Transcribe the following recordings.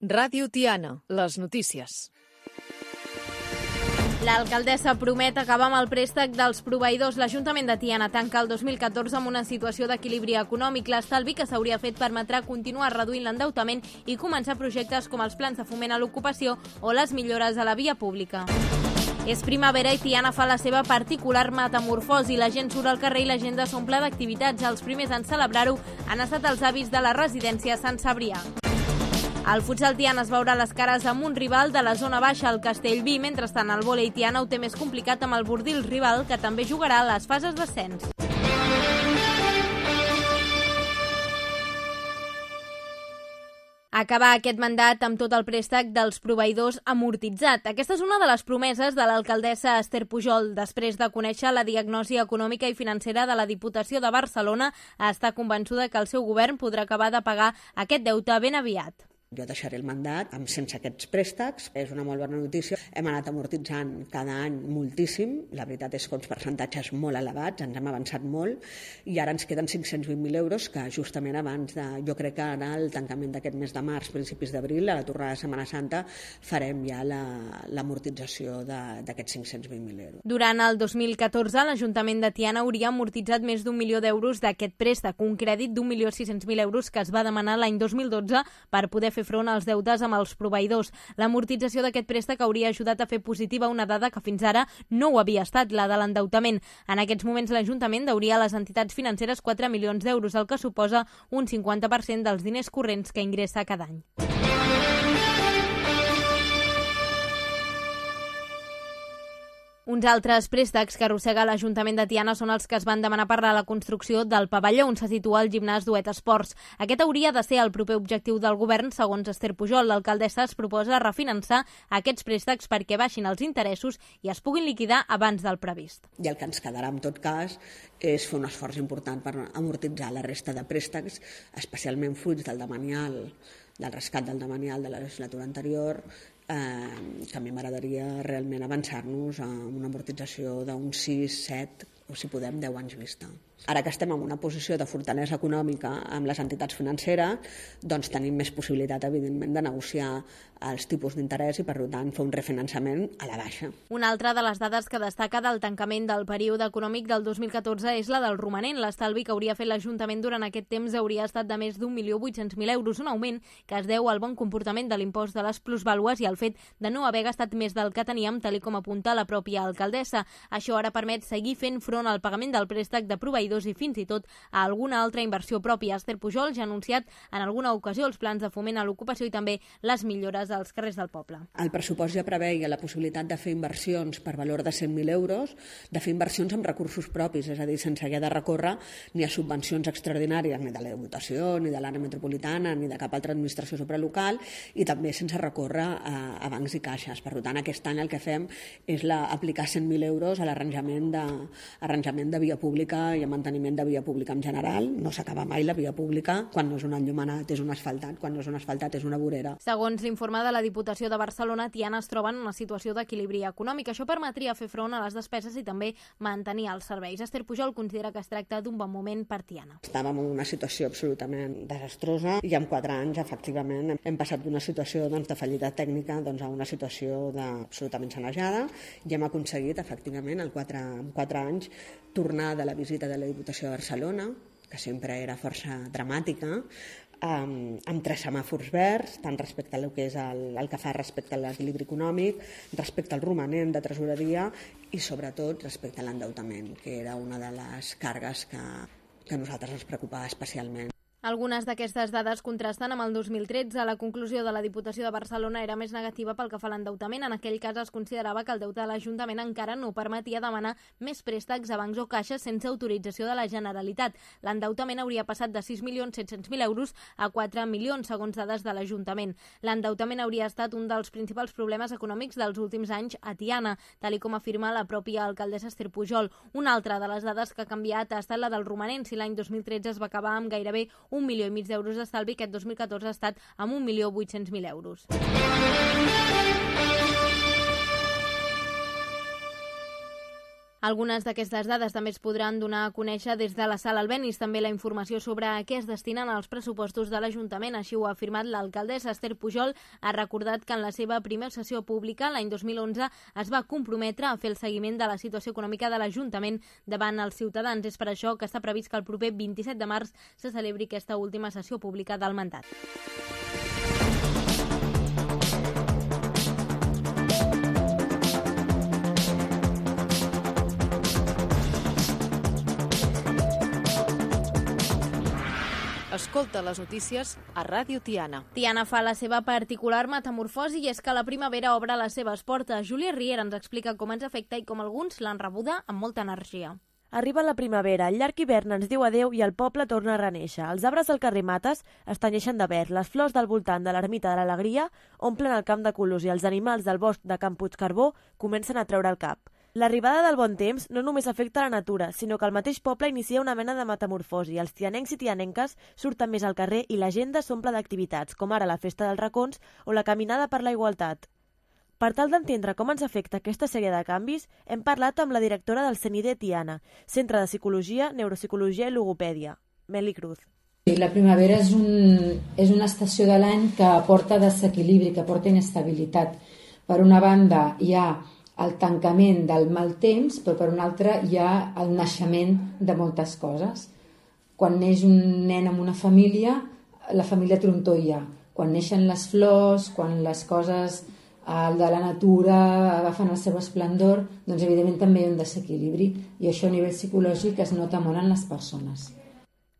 Ràdio Tiana, les notícies. L'alcaldessa promet acabar amb el préstec dels proveïdors. L'Ajuntament de Tiana tanca el 2014 amb una situació d'equilibri econòmic. L'estalvi que s'hauria fet permetrà continuar reduint l'endeutament i començar projectes com els plans de foment a l'ocupació o les millores a la via pública. És primavera i Tiana fa la seva particular metamorfosi. La gent surt al carrer i l'agenda s'omple d'activitats. Els primers en celebrar-ho han estat els avis de la residència Sant Cebrià. El futsal Tiana es veurà les cares amb un rival de la zona baixa, el Castellví. Mentrestant, el vòlei Tiana ho té més complicat amb el Bordils rival, que també jugarà a les fases d'ascens. Acabar aquest mandat amb tot el préstec dels proveïdors amortitzat. Aquesta és una de les promeses de l'alcaldessa Esther Pujol. Després de conèixer la diagnosi econòmica i financera de la Diputació de Barcelona, està convençuda que el seu govern podrà acabar de pagar aquest deute ben aviat. Jo deixaré el mandat sense aquests préstecs. És una molt bona notícia. Hem anat amortitzant cada any moltíssim. La veritat és que uns percentatges molt elevats, ens hem avançat molt, i ara ens queden 520.000 euros que justament abans de, jo crec que ara el tancament d'aquest mes de març, principis d'abril, a la tornada de Setmana Santa, farem ja l'amortització d'aquests 520.000 euros. Durant el 2014, l'Ajuntament de Tiana hauria amortitzat més d'1 milió d'euros d'aquest préstec, un crèdit d'1.600.000 euros que es va demanar l'any 2012 per poder fer front als deutes amb els proveïdors. L'amortització d'aquest préstec hauria ajudat a fer positiva una dada que fins ara no ho havia estat, la de l'endeutament. En aquests moments l'Ajuntament deuria a les entitats financeres 4 milions d'euros, el que suposa un 50% dels diners corrents que ingressa cada any. Uns altres préstecs que arrossega l'Ajuntament de Tiana són els que es van demanar per a la construcció del pavelló on se situa el gimnàs Duet Esports. Aquest hauria de ser el proper objectiu del govern, segons Esther Pujol. L'alcaldessa es proposa refinançar aquests préstecs perquè baixin els interessos i es puguin liquidar abans del previst. I el que ens quedarà, en tot cas, és fer un esforç important per amortitzar la resta de préstecs, especialment fruits del rescat del demanial de la legislatura anterior, que a mi m'agradaria realment avançar-nos a una amortització d'uns 6, 7 o, si podem, 10 anys vista. Ara que estem en una posició de fortalesa econòmica amb les entitats financeres, doncs tenim més possibilitat, evidentment, de negociar els tipus d'interès i, per tant, fer un refinançament a la baixa. Una altra de les dades que destaca del tancament del període econòmic del 2014 és la del romanent. L'estalvi que hauria fet l'Ajuntament durant aquest temps hauria estat de més d'1.800.000 euros, un augment que es deu al bon comportament de l'impost de les plusvàlues i al fet de no haver gastat més del que teníem, tal com apunta la pròpia alcaldessa. Això ara permet seguir fent front al pagament del préstec de proveïdors i fins i tot a alguna altra inversió pròpia. Esther Pujol ja ha anunciat en alguna ocasió els plans de foment a l'ocupació i també les millores als carrers del poble. El pressupost ja preveia la possibilitat de fer inversions per valor de 100.000 euros, de fer inversions amb recursos propis, és a dir, sense haver de recórrer ni a subvencions extraordinàries, ni de la Diputació, ni de l'àrea metropolitana, ni de cap altra administració supralocal, i també sense recórrer a bancs i caixes. Per tant, aquest any el que fem és aplicar 100.000 euros a l'arranjament de via pública i a manteniment de via pública en general. No s'acaba mai la via pública. Quan no és un enllumenat és un asfaltat, quan no és un asfaltat és una vorera. Segons l'informe de la Diputació de Barcelona, Tiana es troba en una situació d'equilibri econòmic. Això permetria fer front a les despeses i també mantenir els serveis. Esther Pujol considera que es tracta d'un bon moment per Tiana. Estàvem en una situació absolutament desastrosa i en 4 anys, efectivament, hem passat d'una situació de fallida tècnica a una situació absolutament sanejada i hem aconseguit, efectivament, en 4 anys, tornar de la visita de la Diputació de Barcelona, que sempre era força dramàtica, amb 3 semàfors verds, tant respecte al que és el que fa respecte a l'equilibri econòmic, respecte al romanent de tresoreria i, sobretot, respecte a l'endeutament, que era una de les cargues que a nosaltres ens preocupava especialment. Algunes d'aquestes dades contrasten amb el 2013. La conclusió de la Diputació de Barcelona era més negativa pel que fa a l'endeutament. En aquell cas es considerava que el deute de l'Ajuntament encara no permetia demanar més préstecs a bancs o caixes sense autorització de la Generalitat. L'endeutament hauria passat de 6.700.000 euros a 4 milions, segons dades de l'Ajuntament. L'endeutament hauria estat un dels principals problemes econòmics dels últims anys a Tiana, tal com afirma la pròpia alcaldessa Esther Pujol. Una altra de les dades que ha canviat ha estat la del romanent. Si l'any 2013 es va acabar amb gairebé 1,5 milió d'euros d'estalvi, aquest 2014 ha estat amb 1.800.000 euros. Algunes d'aquestes dades també es podran donar a conèixer des de la Sala Albéniz. També la informació sobre a què es destinen els pressupostos de l'Ajuntament. Així ho ha afirmat l'alcaldessa Esther Pujol. Ha recordat que en la seva primera sessió pública, l'any 2011, es va comprometre a fer el seguiment de la situació econòmica de l'Ajuntament davant els ciutadans. És per això que està previst que el proper 27 de març se celebri aquesta última sessió pública del mandat. Escolta les notícies a Ràdio Tiana. Tiana fa la seva particular metamorfosi i és que la primavera obre les seves portes. Júlia Riera ens explica com ens afecta i com alguns l'han rebuda amb molta energia. Arriba la primavera, el llarg hivern ens diu adeu i el poble torna a renéixer. Els arbres del carrer Mates es tenyeixen de verd, les flors del voltant de l'ermita de l'Alegria omplen el camp de colors i els animals del bosc de Can Puigcarbó comencen a treure el cap. L'arribada del bon temps no només afecta la natura, sinó que el mateix poble inicia una mena de metamorfosi. Els tianencs i tianenques surten més al carrer i l'agenda s'omple d'activitats, com ara la Festa dels Racons o la Caminada per la Igualtat. Per tal d'entendre com ens afecta aquesta sèrie de canvis, hem parlat amb la directora del CENIDE Tiana, Centre de Psicologia, Neuropsicologia i Logopèdia, Meli Cruz. La primavera és una estació de l'any que aporta desequilibri, que aporta inestabilitat. Per una banda hi ha el tancament del mal temps, però per una altra hi ha el naixement de moltes coses. Quan neix un nen en una família, la família trontolla. Quan neixen les flors, quan les coses de la natura agafen el seu esplendor, doncs evidentment també hi ha un desequilibri i això a nivell psicològic es nota molt en les persones.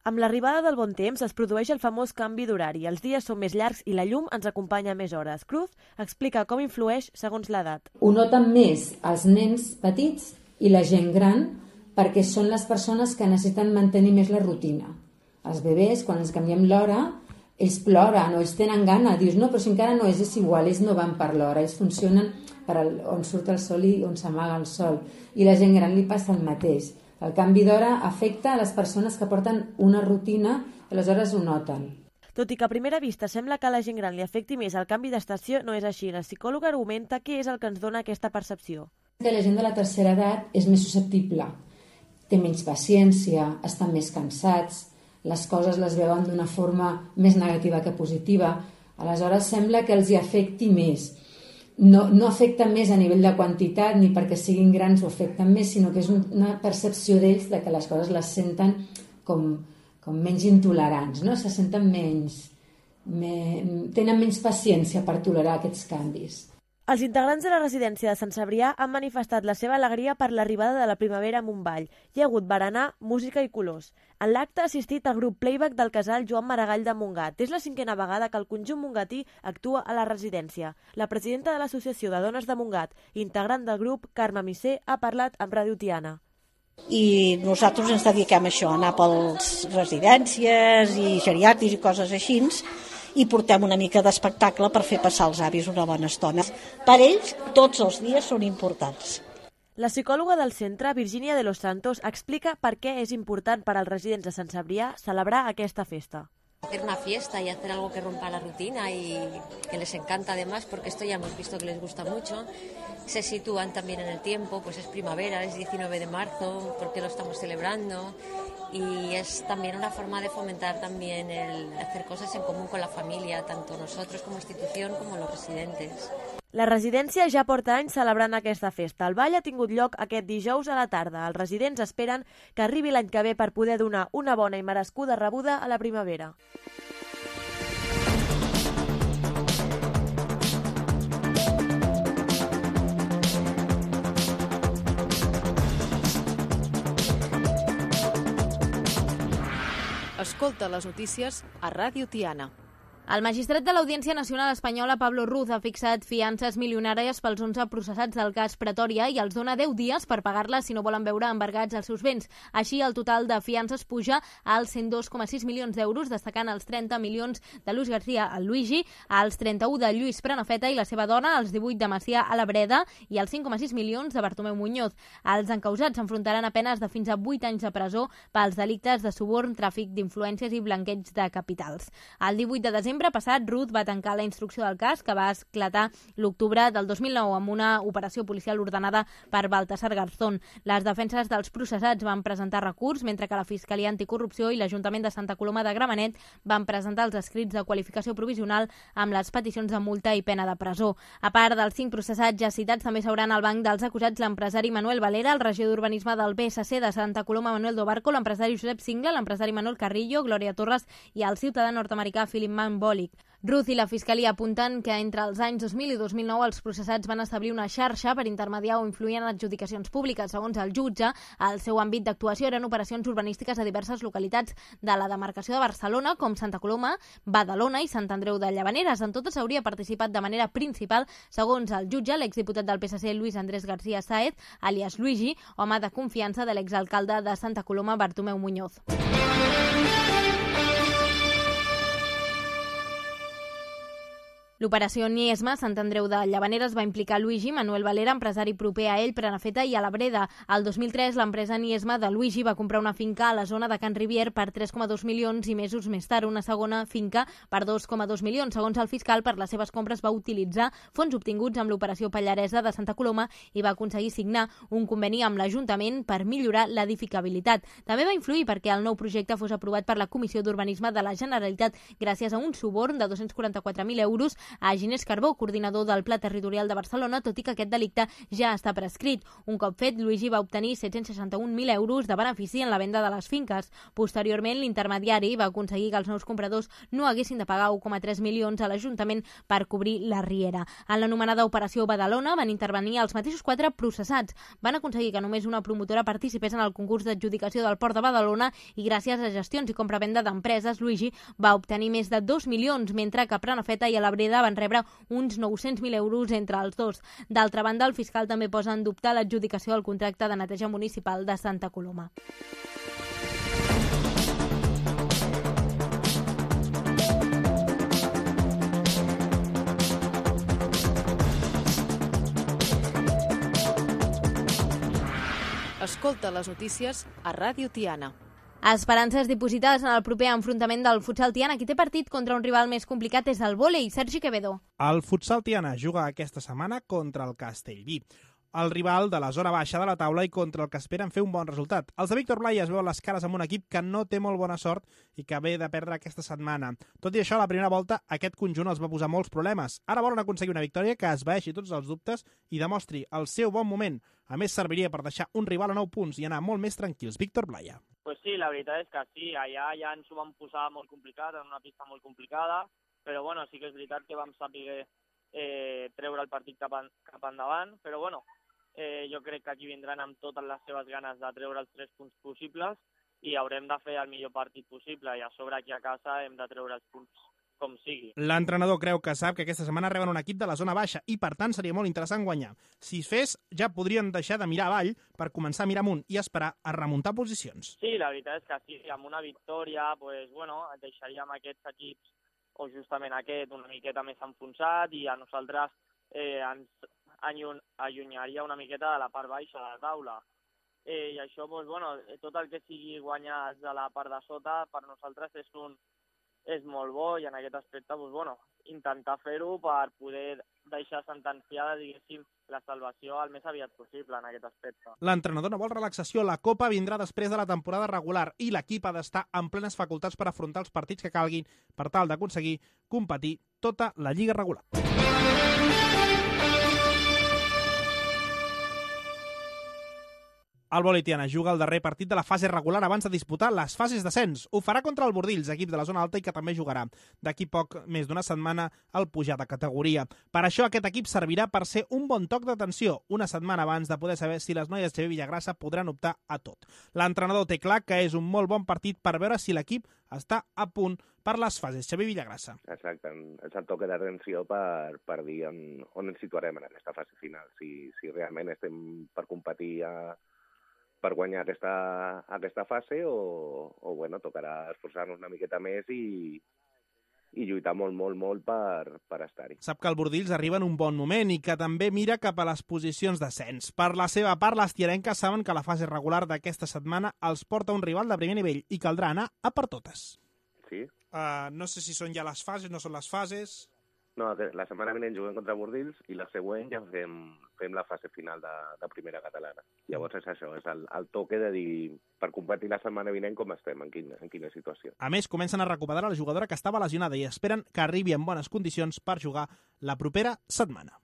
Amb l'arribada del bon temps es produeix el famós canvi d'horari. Els dies són més llargs i la llum ens acompanya més hores. Cruz explica com influeix segons l'edat. Ho noten més els nens petits i la gent gran perquè són les persones que necessiten mantenir més la rutina. Els bebès, quan ens canviem l'hora, ells ploren o ells tenen gana. Dius, no, però si encara no és igual, ells no van per l'hora, ells funcionen per on surt el sol i on s'amaga el sol. I la gent gran li passa el mateix. El canvi d'hora afecta a les persones que porten una rutina i aleshores ho noten. Tot i que a primera vista sembla que a la gent gran li afecti més el canvi d'estació, no és així. La psicòloga argumenta què és el que ens dona aquesta percepció. La gent de la tercera edat és més susceptible, té menys paciència, estan més cansats, les coses les veuen d'una forma més negativa que positiva, aleshores sembla que els hi afecti més. No afecta més a nivell de quantitat ni perquè siguin grans ho afecten més, sinó que és una percepció d'ells de que les coses les senten com menys intolerants, no? Se senten tenen menys paciència per tolerar aquests canvis. Els integrants de la residència de Sant Cebrià han manifestat la seva alegria per l'arribada de la primavera a Montball. Hi ha hagut berenar, música i colors. En l'acte ha assistit el grup Playback del casal Joan Maragall de Montgat. És la 5a vegada que el conjunt mongatí actua a la residència. La presidenta de l'Associació de Dones de Montgat, integrant del grup, Carme Misser, ha parlat amb Ràdio Tiana. I nosaltres ens dediquem a això, a anar per les residències i geriàtrics i coses així, i portem una mica d'espectacle per fer passar els avis una bona estona. Per ells, tots els dies són importants. La psicòloga del centre, Virginia de los Santos, explica per què és important per als residents de Sant Cebrià celebrar aquesta festa. Hacer una fiesta y hacer algo que rompa la rutina y que les encanta además, porque esto ya hemos visto que les gusta mucho. Se sitúan también en el tiempo, pues es primavera, es 19 de marzo, porque lo estamos celebrando. Y es también una forma de fomentar también el hacer cosas en común con la familia, tanto nosotros como institución como los residentes. La residència ja porta anys celebrant aquesta festa. El ball ha tingut lloc aquest dijous a la tarda. Els residents esperen que arribi l'any que ve per poder donar una bona i merescuda rebuda a la primavera. Escolta les notícies a Ràdio Tiana. El magistrat de l'Audiència Nacional Espanyola, Pablo Ruz, ha fixat fiances milionàries pels 11 processats del cas Pretòria i els dona 10 dies per pagar-les si no volen veure embargats els seus béns. Així, el total de fiances puja als 102,6 milions d'euros, destacant els 30 milions de Luis García al Luigi, als 31 de Lluís Prenafeta i la seva dona, als 18 de Macià a la Breda i als 5,6 milions de Bartomeu Muñoz. Els encausats s'enfrontaran a penes de fins a 8 anys de presó pels delictes de suborn, tràfic d'influències i blanqueig de capitals. El 18 de desembre desembre passat, Ruth va tancar la instrucció del cas, que va esclatar l'octubre del 2009 amb una operació policial ordenada per Baltasar Garzón. Les defenses dels processats van presentar recurs, mentre que la Fiscalia Anticorrupció i l'Ajuntament de Santa Coloma de Gramenet van presentar els escrits de qualificació provisional amb les peticions de multa i pena de presó. A part dels 5 processats ja citats, també s'hauran al banc dels acusats l'empresari Manuel Valera, el regidor d'Urbanisme del PSC de Santa Coloma Manuel Dobarco, l'empresari Josep Singla, l'empresari Manuel Carrillo, Glòria Torres i el ciutadà nord-americà Philip Manbolic. Ruth i la Fiscalia apunten que entre els anys 2000 i 2009 els processats van establir una xarxa per intermediar o influir en adjudicacions públiques. Segons el jutge, el seu àmbit d'actuació eren operacions urbanístiques a diverses localitats de la demarcació de Barcelona, com Santa Coloma, Badalona i Sant Andreu de Llavaneres. En totes hauria participat de manera principal, segons el jutge, l'exdiputat del PSC Luis Andrés García Sáez, alias Luigi, home de confiança de l'exalcalde de Santa Coloma, Bartomeu Muñoz. L'operació Niesma, Sant Andreu de Llavaneres, va implicar Luigi Manuel Valera, empresari proper a ell, Prenafeta i a la Breda. El 2003, l'empresa Niesma de Luigi va comprar una finca a la zona de Can Rivier per 3,2 milions i mesos més tard una segona finca per 2,2 milions. Segons el fiscal, per les seves compres va utilitzar fons obtinguts amb l'operació Pallaresa de Santa Coloma i va aconseguir signar un conveni amb l'Ajuntament per millorar l'edificabilitat. També va influir perquè el nou projecte fos aprovat per la Comissió d'Urbanisme de la Generalitat gràcies a un suborn de 244.000 euros a Ginés Carbó, coordinador del Pla Territorial de Barcelona, tot i que aquest delicte ja està prescrit. Un cop fet, Luigi va obtenir 761.000 euros de benefici en la venda de les finques. Posteriorment, l'intermediari va aconseguir que els nous compradors no haguessin de pagar 1,3 milions a l'Ajuntament per cobrir la riera. En l'anomenada Operació Badalona van intervenir els mateixos 4 processats. Van aconseguir que només una promotora participés en el concurs d'adjudicació del Port de Badalona i gràcies a gestions i compra-venda d'empreses, Luigi va obtenir més de 2 milions, mentre que Prenafeta i a la Breda van rebre uns 900.000 euros entre els dos. D'altra banda, el fiscal també posa en dubte l'adjudicació del contracte de neteja municipal de Santa Coloma. Escolta les notícies a Ràdio Tiana. Esperances dipositades en el proper enfrontament del futsal Tiana. Qui té partit contra un rival més complicat és el vòlei. Sergi Quevedo. El futsal Tiana juga aquesta setmana contra el Castellví, el rival de la zona baixa de la taula i contra el que esperen fer un bon resultat. Els de Víctor Blai es veuen les cares amb un equip que no té molt bona sort i que ve de perdre aquesta setmana. Tot i això, a la primera volta, aquest conjunt els va posar molts problemes. Ara volen aconseguir una victòria que esvaeixi tots els dubtes i demostri el seu bon moment. A més, serviria per deixar un rival a 9 punts i anar molt més tranquils. Víctor Blai. Pues sí, la veritat és que sí, allà ja ens ho vam posar molt complicat, en una pista molt complicada, però bueno, sí que és veritat que vam saber treure el partit cap endavant, però bueno, jo crec que aquí vindran amb totes les seves ganes de treure els 3 punts possibles i haurem de fer el millor partit possible i a sobre aquí a casa hem de treure els punts com sigui. L'entrenador creu que sap que aquesta setmana reben un equip de la zona baixa i per tant seria molt interessant guanyar. Si es fes, ja podrien deixar de mirar avall per començar a mirar amunt i esperar a remuntar posicions. Sí, la veritat és que sí, amb una victòria pues, bueno, deixaríem aquests equips o justament aquest una miqueta més enfonsat i a nosaltres ens allunyaria una miqueta de la part baixa de la taula. I això, doncs, bueno, tot el que sigui guanyar de la part de sota per nosaltres és molt bo i en aquest aspecte, doncs, bueno, intentar fer-ho per poder deixar sentenciada, diguéssim, la salvació el més aviat possible en aquest aspecte. L'entrenador no vol relaxació, la Copa vindrà després de la temporada regular i l'equip ha d'estar en plenes facultats per afrontar els partits que calguin per tal d'aconseguir competir tota la lliga regular. El vòlei Tiana juga el darrer partit de la fase regular abans de disputar les fases d'ascens. Ho farà contra el Bordils, equip de la zona alta i que també jugarà d'aquí poc més d'una setmana al pujar de categoria. Per això aquest equip servirà per ser un bon toc d'atenció, una setmana abans de poder saber si les noies de Villagrassa podran optar a tot. L'entrenador té clar que és un molt bon partit per veure si l'equip està a punt per les fases. Xavier Villagrassa. Exacte, és el toc d'atenció per dir on ens situarem en aquesta fase final, si realment estem per competir per guanyar aquesta fase o bueno, tocarà esforçar-nos una miqueta més i lluitar molt per estar-hi. Sap que el Bordils arriba en un bon moment i que també mira cap a les posicions d'ascens. Per la seva part, les tiarenques saben que la fase regular d'aquesta setmana els porta un rival de primer nivell i caldrà anar a per totes. Sí, No sé si són ja les fases, no són les fases... No, la setmana vinent juguem contra Bordils i la següent ja fem la fase final de primera catalana. Llavors és això, és el toque de dir per competir la setmana vinent com estem, en quina situació. A més, comencen a recuperar la jugadora que estava lesionada i esperen que arribi en bones condicions per jugar la propera setmana.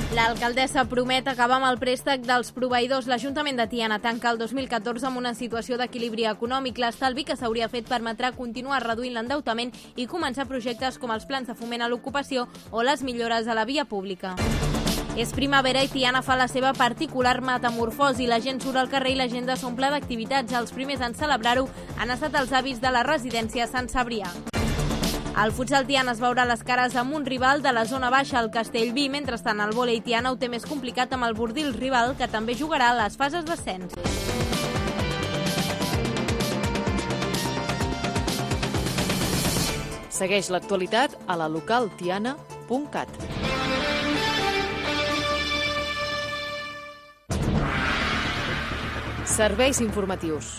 L'alcaldessa promet acabar amb el préstec dels proveïdors. L'Ajuntament de Tiana tanca el 2014 amb una situació d'equilibri econòmic. L'estalvi que s'hauria fet permetrà continuar reduint l'endeutament i començar projectes com els plans de foment a l'ocupació o les millores a la via pública. És primavera i Tiana fa la seva particular metamorfosi. La gent surt al carrer i l'agenda s'omple d'activitats. Els primers en celebrar-ho han estat els avis de la residència Sant Cebrià. El futsal Tiana es veurà les cares amb un rival de la zona baixa, el Castellví. Mentrestant, el vòlei Tiana ho té més complicat amb el Bordils rival, que també jugarà a les fases d'ascens. Segueix l'actualitat a la localtiana.cat. Serveis informatius.